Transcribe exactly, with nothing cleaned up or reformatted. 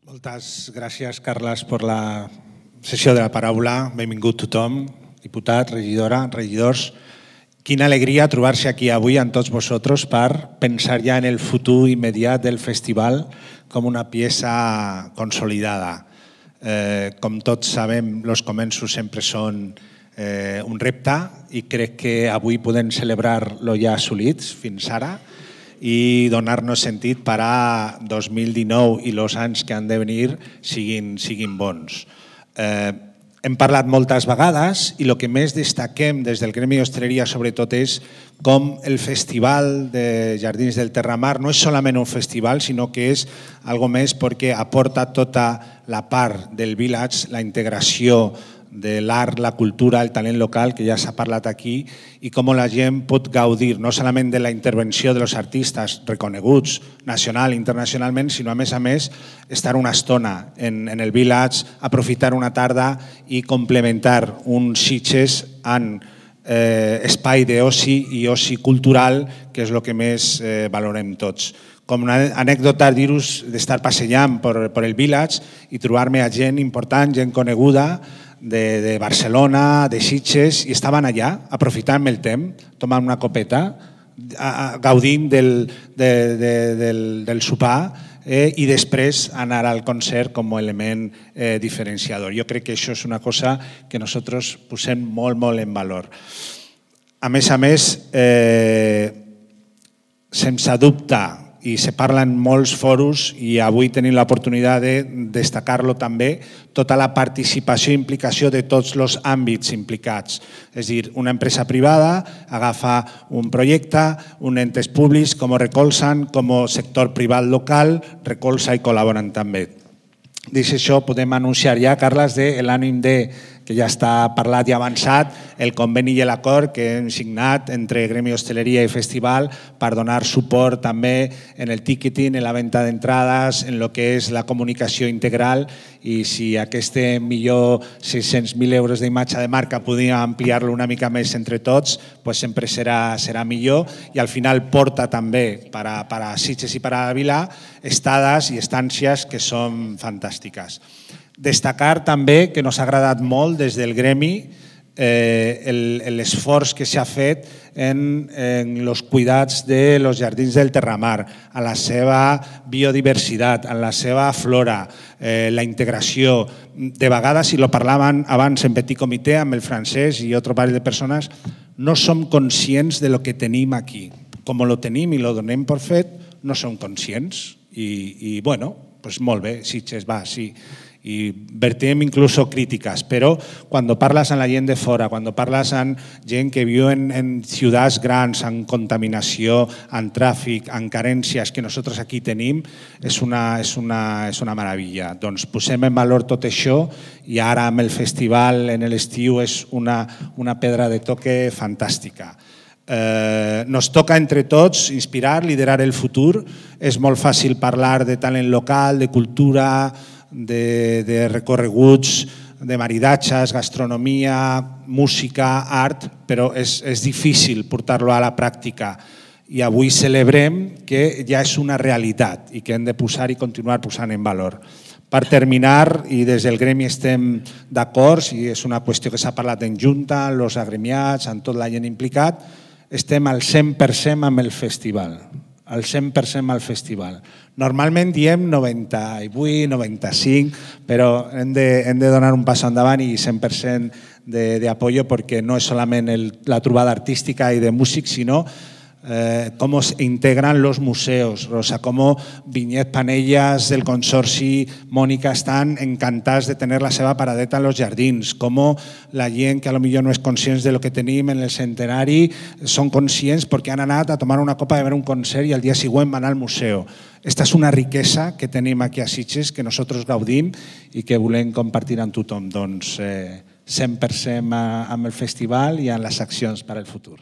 Moltes gràcies, Carles, per la sessió de la paraula. Benvingut tothom, diputat, regidora, regidors. Quina alegria trobar-se aquí avui amb tots vosaltres per pensar ja en el futur immediat del festival com una peça consolidada. Eh, com tots sabem, els començos sempre són eh, un repte i crec que avui podem celebrar lo ja assolits fins ara i donar-nos sentit per a dos mil dinou i els anys que han de venir siguin, siguin bons. Eh, hem parlat moltes vegades i el que més destaquem des del Gremi d'Hostaleria sobretot és com el Festival de Jardins del Terramar no és solament un festival, sinó que és algo més perquè aporta tota la part del village, la integració de l'art, la cultura, el talent local, que ja s'ha parlat aquí, i com la gent pot gaudir no solament de la intervenció dels artistes reconeguts nacional i internacionalment, sinó a més a més estar una estona en, en el village, aprofitar una tarda i complementar uns Sitges amb eh, espai d'oci i oci cultural, que és el que més eh, valorem tots. Com una anècdota, dir-vos d'estar passejant per, per el village i trobar-me a gent important, gent coneguda, De, de Barcelona, de Sitges, i estaven allà aprofitant el temps, tomant una copeta, a, a, gaudint del, de, de, del, del sopar eh, i després anar al concert com a element eh, diferenciador. Jo crec que això és una cosa que nosaltres posem molt, molt en valor. A més a més, eh, sense dubte, i se parla en molts fòrums i avui tenim l'oportunitat de destacar-lo també, tota la participació i implicació de tots els àmbits implicats. És a dir, una empresa privada agafa un projecte, uns entes públics com ho recolzen, com a sector privat local recolza i col·laboren també. Dit això, podem anunciar ja, Carles, de l'ànim de que ja està parlat i avançat, el conveni i l'acord que hem signat entre Gremi d'Hostaleria i Festival per donar suport també en el ticketing, en la venda d'entrades, en el que és la comunicació integral, i si aquest millor sis-cents mil euros d'imatge de marca podíem ampliar-lo una mica més entre tots, doncs sempre serà, serà millor, i al final porta també per a, per a Sitges i per a la Vila estades i estàncies que són fantàstiques. Destacar també que nos ha agradat molt des del Gremi eh, l'esforç que s'ha fet en, en els cuidats de los jardins del Terramar, a la seva biodiversitat, a la seva flora, eh, la integració. De vegades, si lo parlaven abans en petit comitè amb el francès i altre parell de persones, no som conscients de lo que tenim aquí. Com lo tenim i lo donem per fet, no som conscients. I, i bueno, pues molt bé, Sitges va, sí. Y vertem incluso críticas, pero cuando parlas amb la gent de fora, cuando parlas amb gent que viu en, en ciutats grans, amb contaminació, amb tràfic, amb carències que nosaltres aquí tenim, és una, és una, és una meravella. Doncs posem en valor tot això i ara amb el festival en l'estiu és una, una pedra de toque fantàstica. Eh, nos toca entre tots inspirar, liderar el futur. És molt fàcil parlar de talent local, de cultura, De, de recorreguts, de maridatges, gastronomia, música, art, però és, és difícil portar-lo a la pràctica. I avui celebrem que ja és una realitat i que hem de posar i continuar posant en valor. Per terminar, i des del Gremi estem d'acord, i és una qüestió que s'ha parlat en junta, amb els agremiats, amb tota la gent implicat, estem al cent per cent amb el festival. Al cent per cent al festival. Normalment diem noranta-vuit, noranta-cinc, però hem de, hem de donar un pas endavant i cent per cent d'apoyo perquè no és solament el, la trobada artística i de músics, sinó eh, com es integran los museos. Rosa, com Vinyet Panellas del Consorci Mònica estan encantats de tenir la seva paradeta en los jardins, com la gent que potser no és conscient de lo que tenim en el centenari són conscients perquè han anat a tomar una copa de veure un concert i al dia següent van al museu. Esta és una riquesa que tenim aquí a Sitges, que nosaltres gaudim i que volem compartir amb tothom. Doncs eh, cent per cent amb el festival i amb les accions per al futur.